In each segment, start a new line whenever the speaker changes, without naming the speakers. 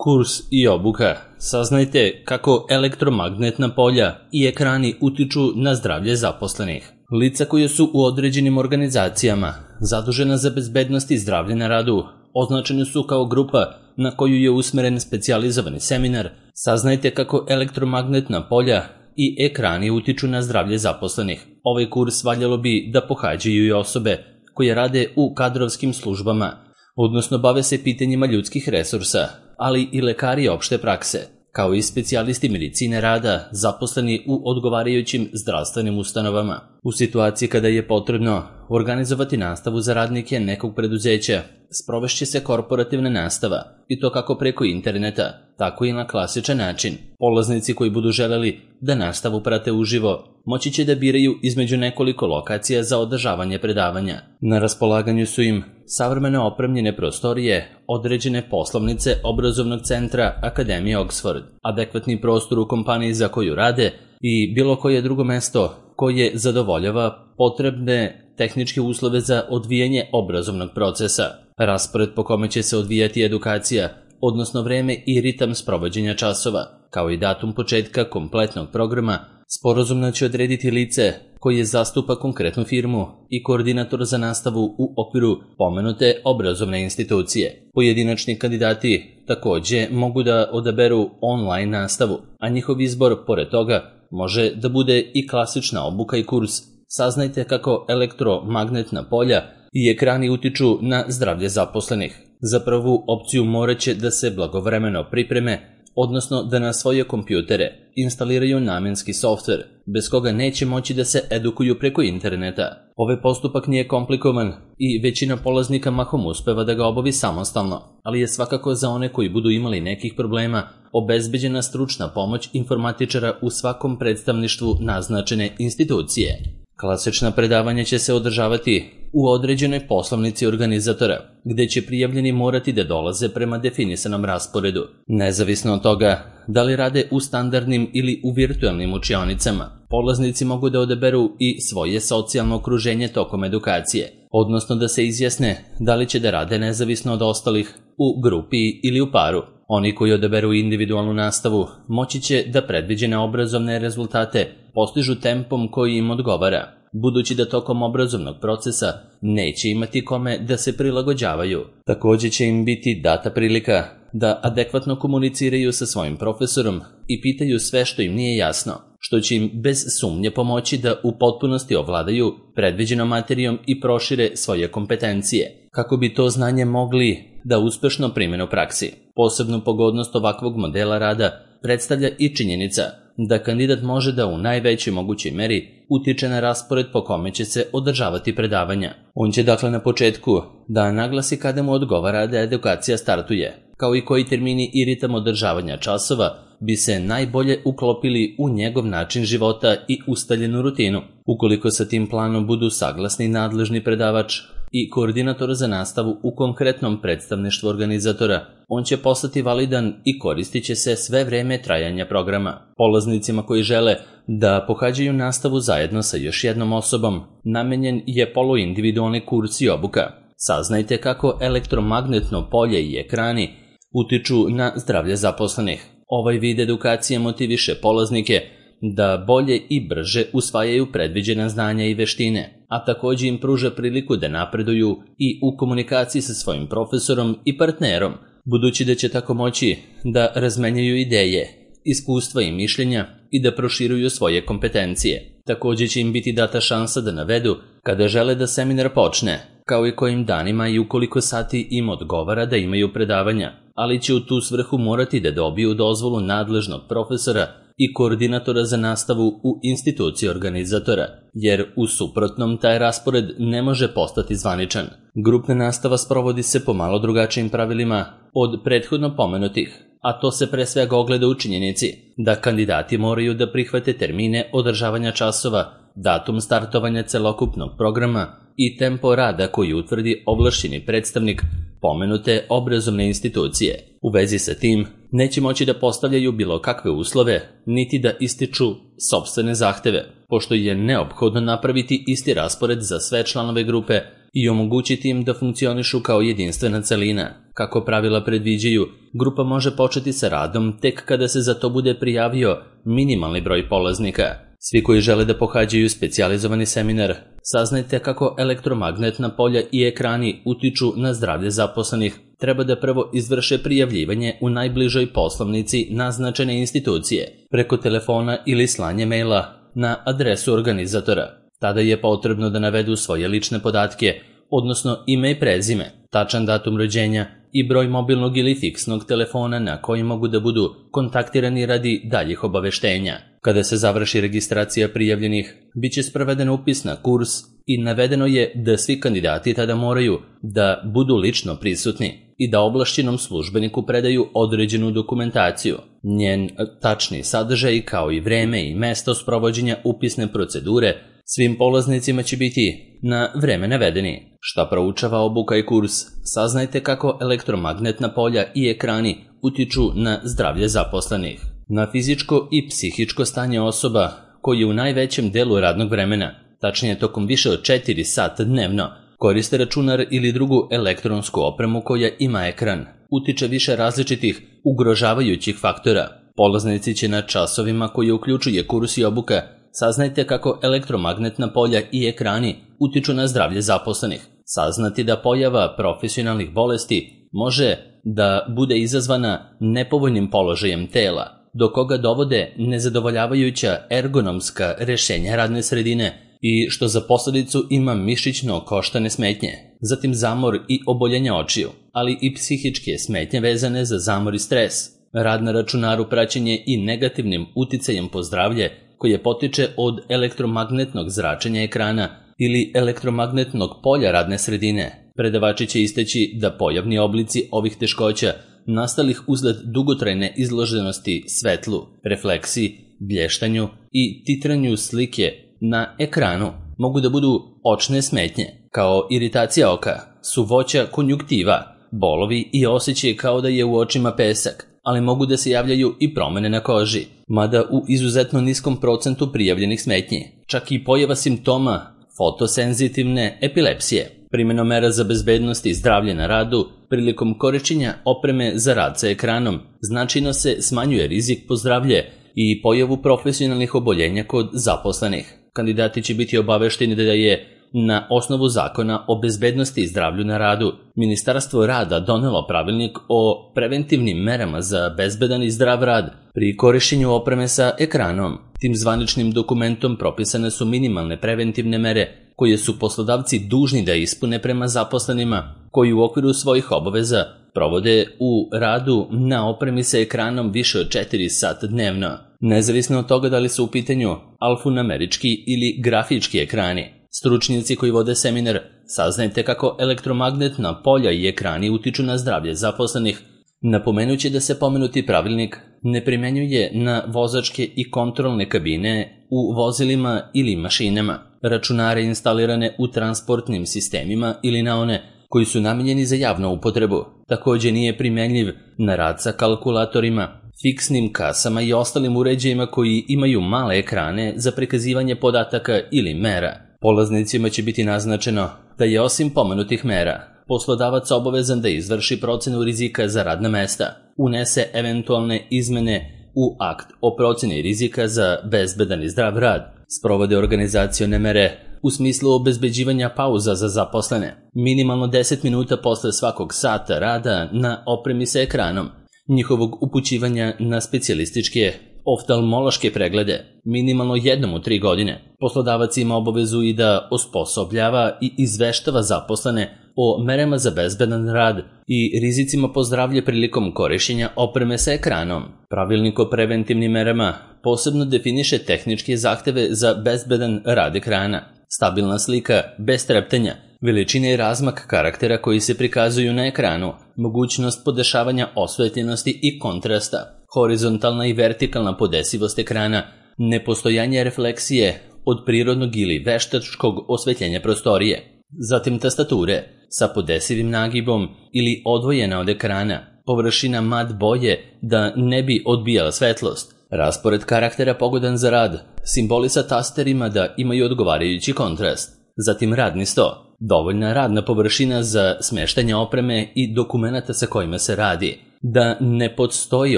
Kurs i obuka. Saznajte kako elektromagnetna polja i ekrani utiču na zdravlje zaposlenih. Lica koje su u određenim organizacijama zadužena za bezbednost i zdravlje na radu označeni su kao grupa na koju je usmeren specijalizovani seminar. Saznajte kako elektromagnetna polja i ekrani utiču na zdravlje zaposlenih. Ovaj kurs valjalo bi da pohađaju i osobe koje rade u kadrovskim službama, odnosno bave se pitanjima ljudskih resursa, ali i lekari opšte prakse, kao i specijalisti medicine rada zaposleni u odgovarajućim zdravstvenim ustanovama. U situaciji kada je potrebno organizovati nastavu za radnike nekog preduzeća, sprovešće se korporativna nastava, i to kako preko interneta, tako i na klasičan način. Polaznici koji budu želeli da nastavu prate uživo, moći će da biraju između nekoliko lokacija za održavanje predavanja. Na raspolaganju su im savremeno opremljene prostorije, određene poslovnice obrazovnog centra Akademije Oxford, adekvatni prostor u kompaniji za koju rade i bilo koje drugo mesto koje zadovoljava potrebne tehničke uslove za odvijanje obrazovnog procesa. Raspored po kome će se odvijati edukacija, odnosno vreme i ritam sprovođenja časova, kao i datum početka kompletnog programa, sporazumno će odrediti lice koje zastupa konkretnu firmu i koordinator za nastavu u okviru pomenute obrazovne institucije. Pojedinačni kandidati takođe mogu da odaberu online nastavu, a njihov izbor, pored toga, može da bude i klasična obuka i kurs. Saznajte kako elektromagnetna polja i ekrani utiču na zdravlje zaposlenih. Za prvu opciju morat će da se blagovremeno pripreme, odnosno da na svoje kompjutere instaliraju namenski softver, bez koga neće moći da se edukuju preko interneta. Ovaj postupak nije komplikovan i većina polaznika mahom uspeva da ga obavi samostalno, ali je svakako za one koji budu imali nekih problema obezbeđena stručna pomoć informatičara u svakom predstavništvu naznačene institucije. Klasična predavanja će se održavati u određenoj poslovnici organizatora, gde će prijavljeni morati da dolaze prema definisanom rasporedu. Nezavisno od toga da li rade u standardnim ili u virtualnim učionicama, polaznici mogu da odaberu i svoje socijalno okruženje tokom edukacije, odnosno da se izjasne da li će da rade nezavisno od ostalih, u grupi ili u paru. Oni koji odaberu individualnu nastavu moći će da predviđene obrazovne rezultate postižu tempom koji im odgovara, budući da tokom obrazovnog procesa neće imati kome da se prilagođavaju. Takođe će im biti data prilika da adekvatno komuniciraju sa svojim profesorom i pitaju sve što im nije jasno, što će im bez sumnje pomoći da u potpunosti ovladaju predviđenom materijom i prošire svoje kompetencije, kako bi to znanje mogli da uspešno primene u praksi. Posebnu pogodnost ovakvog modela rada predstavlja i činjenica da kandidat može da u najvećoj mogućoj meri utiče na raspored po kome će se održavati predavanja. On će dakle na početku da naglasi kada mu odgovara da edukacija startuje, kao i koji termini i ritam održavanja časova bi se najbolje uklopili u njegov način života i ustaljenu rutinu. Ukoliko sa tim planom budu saglasni nadležni predavač i koordinator za nastavu u konkretnom predstavništvu organizatora, on će postati validan i koristit će se sve vreme trajanja programa. Polaznicima koji žele da pohađaju nastavu zajedno sa još jednom osobom, namenjen je poluindividualni kurs i obuka. Saznajte kako elektromagnetno polje i ekrani utiču na zdravlje zaposlenih. Ovaj vid edukacije motiviše polaznike da bolje i brže usvajaju predviđena znanja i veštine, a takođe im pruža priliku da napreduju i u komunikaciji sa svojim profesorom i partnerom, budući da će tako moći da razmenjuju ideje, iskustva i mišljenja i da proširuju svoje kompetencije. Takođe će im biti data šansa da navedu kada žele da seminar počne, kao i kojim danima i u koliko sati im odgovara da imaju predavanja, ali će u tu svrhu morati da dobiju dozvolu nadležnog profesora i koordinatora za nastavu u instituciji organizatora, jer u suprotnom taj raspored ne može postati zvaničan. Grupna nastava sprovodi se po malo drugačijim pravilima od prethodno pomenutih, a to se pre svega ogleda u činjenici da kandidati moraju da prihvate termine održavanja časova, datum startovanja celokupnog programa i tempo rada koji utvrdi ovlašćeni predstavnik pomenute obrazovne institucije. U vezi sa tim, neće moći da postavljaju bilo kakve uslove, niti da ističu sopstvene zahteve, pošto je neophodno napraviti isti raspored za sve članove grupe i omogućiti im da funkcionišu kao jedinstvena celina. Kako pravila predviđaju, grupa može početi sa radom tek kada se za to bude prijavio minimalni broj polaznika. Svi koji žele da pohađaju specijalizovani seminar, saznajte kako elektromagnetna polja i ekrani utiču na zdravlje zaposlenih, treba da prvo izvrše prijavljivanje u najbližoj poslovnici naznačene institucije, preko telefona ili slanje maila na adresu organizatora. Tada je potrebno da navedu svoje lične podatke, odnosno ime i prezime, tačan datum rođenja i broj mobilnog ili fiksnog telefona na koji mogu da budu kontaktirani radi daljih obaveštenja. Kada se završi registracija prijavljenih, bit će sproveden upis na kurs i navedeno je da svi kandidati tada moraju da budu lično prisutni i da ovlašćenom službeniku predaju određenu dokumentaciju. Njen tačni sadržaj kao i vreme i mesto sprovođenja upisne procedure svim polaznicima će biti na vreme navedeni. Šta proučava obuka i kurs, saznajte kako elektromagnetna polja i ekrani utiču na zdravlje zaposlenih. Na fizičko i psihičko stanje osoba koji u najvećem delu radnog vremena, tačnije tokom više od 4 sata dnevno, koriste računar ili drugu elektronsku opremu koja ima ekran, utiče više različitih ugrožavajućih faktora. Polaznici će na časovima koje uključuje kurs i obuka saznajte kako elektromagnetna polja i ekrani utiču na zdravlje zaposlenih. Saznati da pojava profesionalnih bolesti može da bude izazvana nepovoljnim položajem tela, do koga dovode nezadovoljavajuća ergonomska rešenja radne sredine i što za posljedicu ima mišićno-koštane smetnje, zatim zamor i oboljenja očiju, ali i psihičke smetnje vezane za zamor i stres, rad na računaru, praćenje i negativnim uticajem po zdravlje koje potiče od elektromagnetnog zračenja ekrana ili elektromagnetnog polja radne sredine. Predavači će istaći da pojavni oblici ovih teškoća nastalih usled dugotrajne izloženosti svetlu, refleksiji, blještanju i titranju slike na ekranu mogu da budu očne smetnje, kao iritacija oka, suvoća konjuktiva, bolovi i osjećaj kao da je u očima pesak, ali mogu da se javljaju i promene na koži, mada u izuzetno niskom procentu prijavljenih smetnji, čak i pojava simptoma fotosenzitivne epilepsije. Primenom mera za bezbednost i zdravlje na radu prilikom korišćenja opreme za rad sa ekranom značajno se smanjuje rizik po zdravlje i pojavu profesionalnih oboljenja kod zaposlenih. Kandidati će biti obavešteni da je na osnovu zakona o bezbednosti i zdravlju na radu Ministarstvo rada donelo pravilnik o preventivnim merama za bezbedan i zdrav rad pri korišćenju opreme sa ekranom. Tim zvaničnim dokumentom propisane su minimalne preventivne mere koje su poslodavci dužni da ispune prema zaposlenima koji u okviru svojih obaveza provode u radu na opremi sa ekranom više od 4 sata dnevno, nezavisno od toga da li su u pitanju alfanumerički ili grafički ekrani. Stručnjaci koji vode seminar, saznajte kako elektromagnetna polja i ekrani utiču na zdravlje zaposlenih. Napomenući da se pomenuti pravilnik ne primenjuje na vozačke i kontrolne kabine u vozilima ili mašinama, računare instalirane u transportnim sistemima ili na one koji su namijenjeni za javnu upotrebu. Također nije primenljiv na rad sa kalkulatorima, fiksnim kasama i ostalim uređajima koji imaju male ekrane za prikazivanje podataka ili mera. Polaznicima će biti naznačeno da je osim pomenutih mera, poslodavac obavezan da izvrši procenu rizika za radna mesta, unese eventualne izmene u akt o proceni rizika za bezbedan i zdrav rad, sprovode organizacione mere u smislu obezbeđivanja pauza za zaposlene, minimalno 10 minuta posle svakog sata rada na opremi sa ekranom, njihovog upućivanja na specijalističke oftalmološke preglede, minimalno jednom u 3 godine. Poslodavac ima obavezu i da osposobljava i izveštava zaposlene o merama za bezbedan rad i rizicima po zdravlje prilikom korišćenja opreme sa ekranom. Pravilnik o preventivnim merama posebno definiše tehničke zahteve za bezbedan rad ekrana, stabilna slika bez treptanja, veličine i razmak karaktera koji se prikazuju na ekranu, mogućnost podešavanja osvetljenosti i kontrasta, horizontalna i vertikalna podesivost ekrana, nepostojanje refleksije od prirodnog ili veštačkog osvetljenja prostorije, zatim tastature sa podesivim nagibom ili odvojena od ekrana, površina mat boje da ne bi odbijala svetlost, raspored karaktera pogodan za rad, simboli sa tasterima da imaju odgovarajući kontrast, zatim radni sto, dovoljna radna površina za smeštanje opreme i dokumenata sa kojima se radi, da ne postoji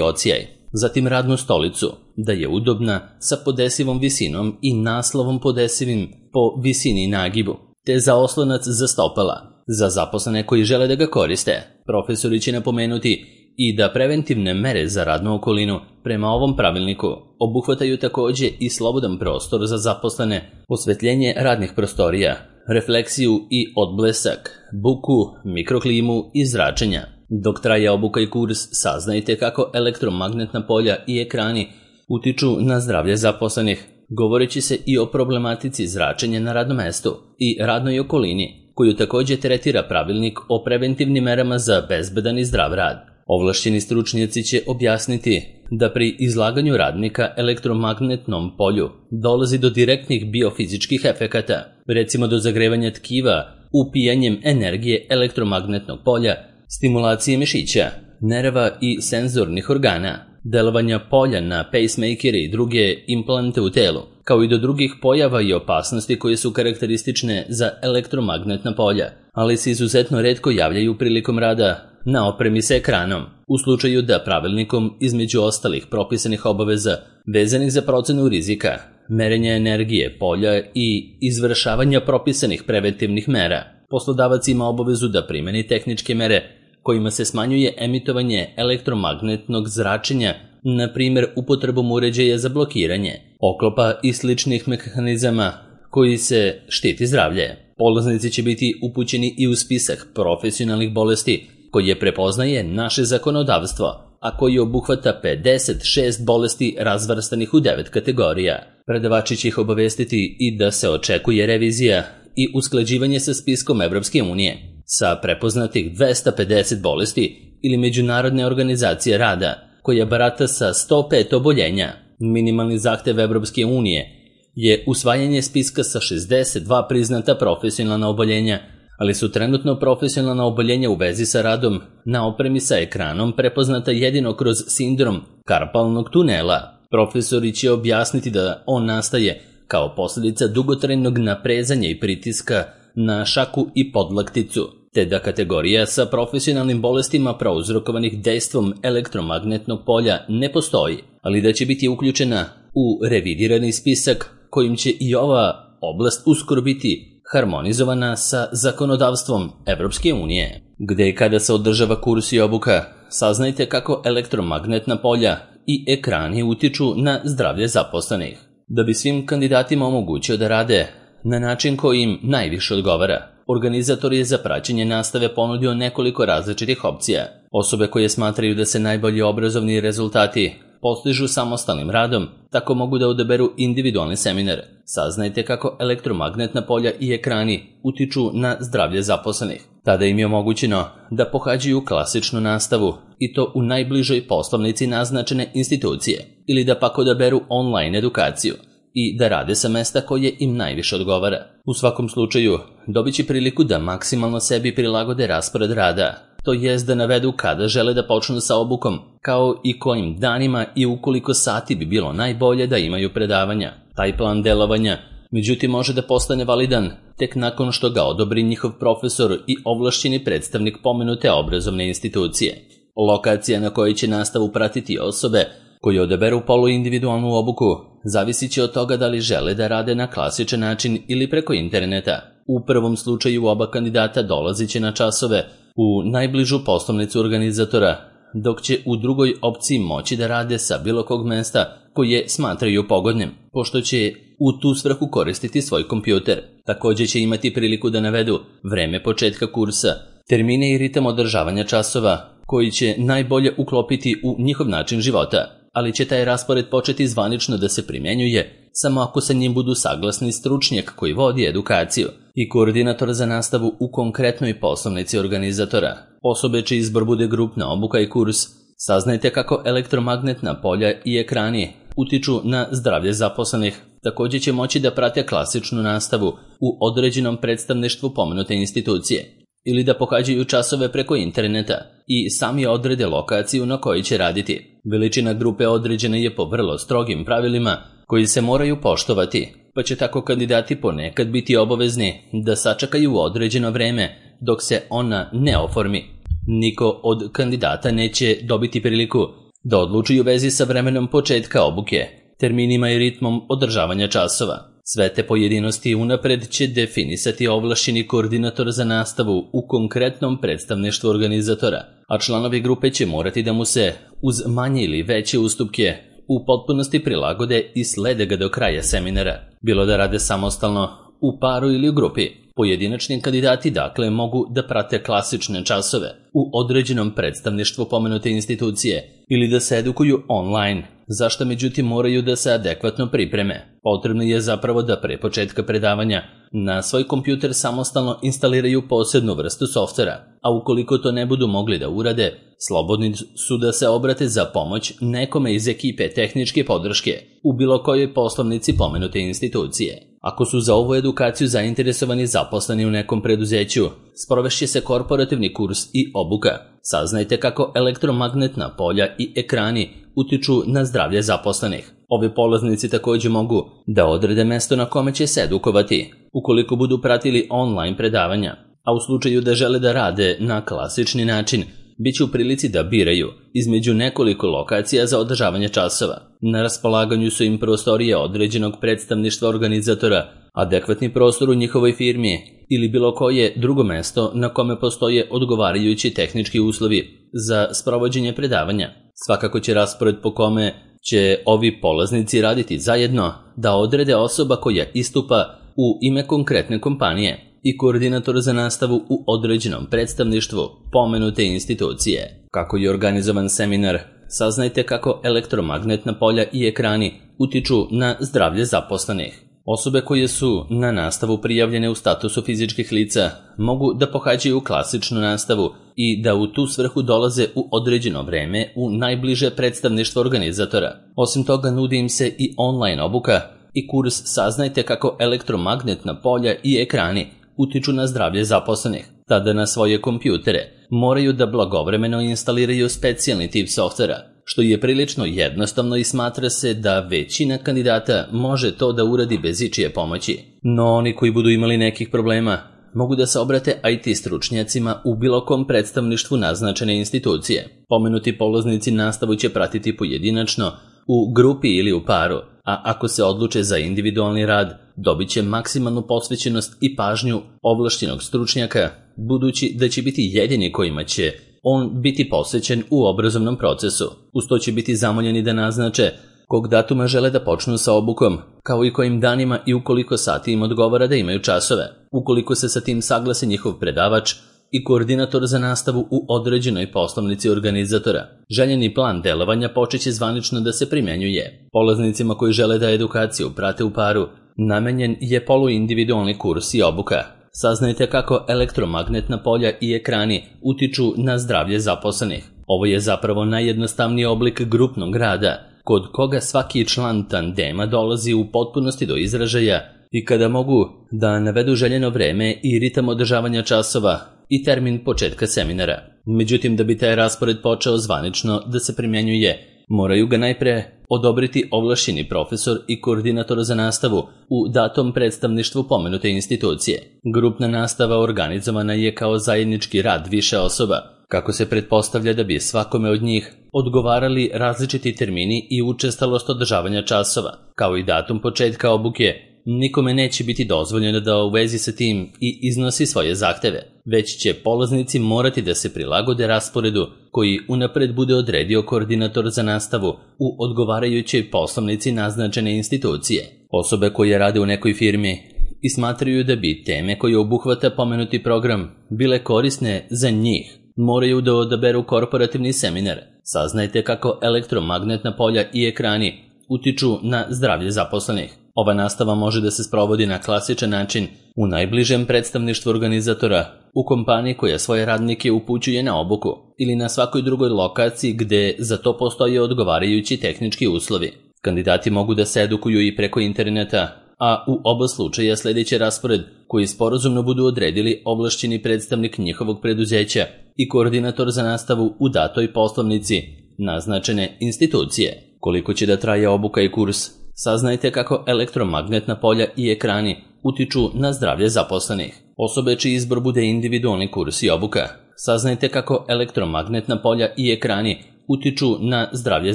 ocijaj, zatim radnu stolicu, da je udobna sa podesivom visinom i naslovom podesivim po visini i nagibu, te za oslonac za stopala, za zaposlene koji žele da ga koriste. Profesori će napomenuti i da preventivne mere za radnu okolinu prema ovom pravilniku obuhvataju takođe i slobodan prostor za zaposlene, osvetljenje radnih prostorija, refleksiju i odblesak, buku, mikroklimu i zračenja. Dok traje obuka i kurs, saznajte kako elektromagnetna polja i ekrani utiču na zdravlje zaposlenih, govoreći se i o problematici zračenja na radnom mestu i radnoj okolini, koju takođe tretira pravilnik o preventivnim merama za bezbedan i zdrav rad. Ovlašćeni stručnjaci će objasniti da pri izlaganju radnika elektromagnetnom polju dolazi do direktnih biofizičkih efekata, recimo do zagrevanja tkiva, upijanjem energije elektromagnetnog polja, stimulacije mišića, nerva i senzornih organa, delovanja polja na pacemakere i druge implante u telu, kao i do drugih pojava i opasnosti koje su karakteristične za elektromagnetna polja, ali se izuzetno retko javljaju prilikom rada na opremi sa ekranom, u slučaju da pravilnikom, između ostalih propisanih obaveza vezanih za procenu rizika, merenja energije polja i izvršavanja propisanih preventivnih mera, poslodavac ima obavezu da primeni tehničke mere kojima se smanjuje emitovanje elektromagnetnog zračenja, na primjer upotrebom uređaja za blokiranje, oklopa i sličnih mehanizama koji se štiti zdravlje. Polaznici će biti upućeni i u spisak profesionalnih bolesti koje prepoznaje naše zakonodavstvo, a koji obuhvata 56 bolesti razvrstanih u 9 kategorija. Predavači će ih obavestiti i da se očekuje revizija i usklađivanje sa spiskom Evropske unije sa prepoznatih 250 bolesti ili Međunarodne organizacije rada, koja barata sa 105 oboljenja. Minimalni zahtev Evropske unije je usvajanje spiska sa 62 priznata profesionalna oboljenja, ali su trenutno profesionalna oboljenja u vezi sa radom na opremi sa ekranom prepoznata jedino kroz sindrom karpalnog tunela. Profesori će objasniti da on nastaje kao posljedica dugotrajnog naprezanja i pritiska na šaku i podlakticu, te da kategorija sa profesionalnim bolestima prouzrokovanih dejstvom elektromagnetnog polja ne postoji, ali da će biti uključena u revidirani spisak kojim će i ova oblast uskoro biti harmonizovana sa zakonodavstvom Evropske unije. Gde i kada se održava kurs i obuka, saznajte kako elektromagnetna polja i ekrani utiču na zdravlje zaposlenih. Da bi svim kandidatima omogućio da rade na način koji im najviše odgovara, organizator je za praćenje nastave ponudio nekoliko različitih opcija. Osobe koje smatraju da se najbolji obrazovni rezultati postižu samostalnim radom, tako mogu da odaberu individualni seminar. Saznajte kako elektromagnetna polja i ekrani utiču na zdravlje zaposlenih. Tada im je omogućeno da pohađaju klasičnu nastavu, i to u najbližoj poslovnici naznačene institucije, ili da pak odaberu online edukaciju i da rade sa mesta koje im najviše odgovara. U svakom slučaju, dobit će priliku da maksimalno sebi prilagode raspored rada, to jest da navedu kada žele da počnu sa obukom, kao i kojim danima i u koliko sati bi bilo najbolje da imaju predavanja. Taj plan delovanja, međutim, može da postane validan tek nakon što ga odobri njihov profesor i ovlašćeni predstavnik pomenute obrazovne institucije. Lokacija na kojoj će nastavu pratiti osobe koje odaberu poluindividualnu obuku zavisit će od toga da li žele da rade na klasičan način ili preko interneta. U prvom slučaju oba kandidata dolazit će na časove u najbližu poslovnicu organizatora, dok će u drugoj opciji moći da rade sa bilo kog mesta koje smatraju pogodnim, pošto će u tu svrhu koristiti svoj kompjuter. Također će imati priliku da navedu vreme početka kursa, termine i ritam održavanja časova, koji će najbolje uklopiti u njihov način života, ali će taj raspored početi zvanično da se primjenjuje samo ako sa njim budu saglasni stručnjak koji vodi edukaciju i koordinator za nastavu u konkretnoj poslovnici organizatora. Osobe čiji izbor bude grupna obuka i kurs, saznajte kako elektromagnetna polja i ekrani utiču na zdravlje zaposlenih. Također će moći da prate klasičnu nastavu u određenom predstavništvu pomenute institucije ili da pohađaju časove preko interneta i sami odrede lokaciju na kojoj će raditi. Veličina grupe određena je po vrlo strogim pravilima koji se moraju poštovati, pa će tako kandidati ponekad biti obavezni da sačekaju određeno vreme dok se ona ne oformi. Niko od kandidata neće dobiti priliku da odluči u vezi sa vremenom početka obuke, terminima i ritmom održavanja časova. Sve te pojedinosti unapred će definisati ovlašćeni koordinator za nastavu u konkretnom predstavništvu organizatora, a članovi grupe će morati da mu se, uz manje ili veće ustupke, u potpunosti prilagode i slede ga do kraja seminara, bilo da rade samostalno, u paru ili u grupi. Pojedinačni kandidati dakle mogu da prate klasične časove u određenom predstavništvu pomenute institucije ili da se edukuju online, zašto međutim moraju da se adekvatno pripreme. Potrebno je zapravo da pre početka predavanja na svoj kompjuter samostalno instaliraju posebnu vrstu softvera, a ukoliko to ne budu mogli da urade, slobodni su da se obrate za pomoć nekome iz ekipe tehničke podrške u bilo kojoj poslovnici pomenute institucije. Ako su za ovu edukaciju zainteresovani zaposleni u nekom preduzeću, sprovešće se korporativni kurs i obuka. Saznajte kako elektromagnetna polja i ekrani utiču na zdravlje zaposlenih. Ovi polaznici također mogu da odrede mesto na kome će se edukovati, ukoliko budu pratili online predavanja, a u slučaju da žele da rade na klasični način, bit će u prilici da biraju između nekoliko lokacija za održavanje časova. Na raspolaganju su im prostorije određenog predstavništva organizatora, adekvatni prostor u njihovoj firmi ili bilo koje drugo mesto na kome postoje odgovarajući tehnički uslovi za sprovođenje predavanja. Svakako će raspored po kome će ovi polaznici raditi zajedno da odrede osoba koja istupa u ime konkretne kompanije i koordinator za nastavu u određenom predstavništvu pomenute institucije. Kako je organizovan seminar, saznajte kako elektromagnetna polja i ekrani utiču na zdravlje zaposlenih. Osobe koje su na nastavu prijavljene u statusu fizičkih lica mogu da pohađaju klasičnu nastavu i da u tu svrhu dolaze u određeno vreme u najbliže predstavništvo organizatora. Osim toga, nudi im se i online obuka i kurs Saznajte kako elektromagnetna polja i ekrani utiču na zdravlje zaposlenih. Tada na svoje kompjutere moraju da blagovremeno instaliraju specijalni tip softvera, što je prilično jednostavno i smatra se da većina kandidata može to da uradi bez ičije pomoći. No oni koji budu imali nekih problema mogu da se obrate IT stručnjacima u bilo kom predstavništvu naznačene institucije. Pomenuti polaznici nastavu će pratiti pojedinačno, u grupi ili u paru, a ako se odluče za individualni rad, dobit će maksimalnu posvećenost i pažnju ovlašćenog stručnjaka, budući da će biti jedini kojima će on biti posvećen u obrazovnom procesu. Uz to će biti zamoljeni da naznače kog datuma žele da počnu sa obukom, kao i kojim danima i u koliko sati im odgovara da imaju časove. Ukoliko se sa tim saglase njihov predavač i koordinator za nastavu u određenoj poslovnici organizatora, željeni plan delovanja počeće zvanično da se primjenjuje. Polaznicima koji žele da edukaciju prate u paru, namenjen je poluindividualni kurs i obuka. Saznajte kako elektromagnetna polja i ekrani utiču na zdravlje zaposlenih. Ovo je zapravo najjednostavniji oblik grupnog rada, kod koga svaki član tandema dolazi u potpunosti do izražaja i kada mogu da navedu željeno vreme i ritam održavanja časova i termin početka seminara. Međutim, da bi taj raspored počeo zvanično da se primjenjuje, moraju ga najpre odobriti ovlašćeni profesor i koordinator za nastavu u datom predstavništvu pomenute institucije. Grupna nastava organizovana je kao zajednički rad više osoba, kako se pretpostavlja da bi svakome od njih odgovarali različiti termini i učestalost održavanja časova, kao i datum početka obuke. Nikome neće biti dozvoljeno da u vezi sa tim i iznosi svoje zahteve, već će polaznici morati da se prilagode rasporedu koji unapred bude odredio koordinator za nastavu u odgovarajućoj poslovnici naznačene institucije. Osobe koje rade u nekoj firmi i smatraju da bi teme koje obuhvata pomenuti program bile korisne za njih, moraju da odaberu korporativni seminar. Saznajte kako elektromagnetna polja i ekrani utiču na zdravlje zaposlenih. Ova nastava može da se sprovodi na klasičan način u najbližem predstavništvu organizatora, u kompaniji koja svoje radnike upućuje na obuku ili na svakoj drugoj lokaciji gde za to postoje odgovarajući tehnički uslovi. Kandidati mogu da se edukuju i preko interneta, a u oba slučaja sljedeći raspored koji sporazumno budu odredili ovlašćeni predstavnik njihovog preduzeća i koordinator za nastavu u datoj poslovnici naznačene institucije. Koliko će da traje obuka i kurs, Saznajte kako elektromagnetna polja i ekrani utiču na zdravlje zaposlenih. Osobe čiji izbor bude individualni kurs i obuka. Saznajte kako elektromagnetna polja i ekrani utiču na zdravlje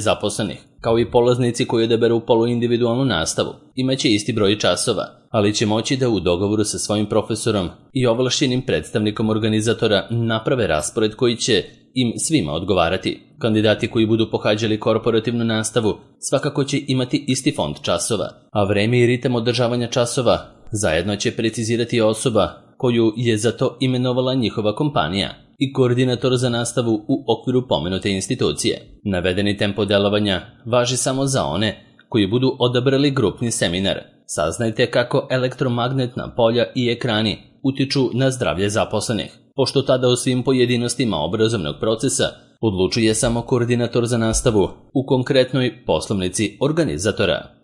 zaposlenih. Kao i polaznici koji odaberu poluindividualnu nastavu, imaće isti broj časova, ali će moći da u dogovoru sa svojim profesorom i ovlašćenim predstavnikom organizatora naprave raspored koji će im svima odgovarati. Kandidati koji budu pohađali korporativnu nastavu svakako će imati isti fond časova, a vreme i ritam održavanja časova zajedno će precizirati osoba koju je za to imenovala njihova kompanija i koordinator za nastavu u okviru pomenute institucije. Navedeni tempo delovanja važi samo za one koji budu odabrali grupni seminar. Saznajte kako elektromagnetna polja i ekrani utiču na zdravlje zaposlenih, pošto tada o svim pojedinostima obrazovnog procesa odlučuje samo koordinator za nastavu u konkretnoj poslovnici organizatora.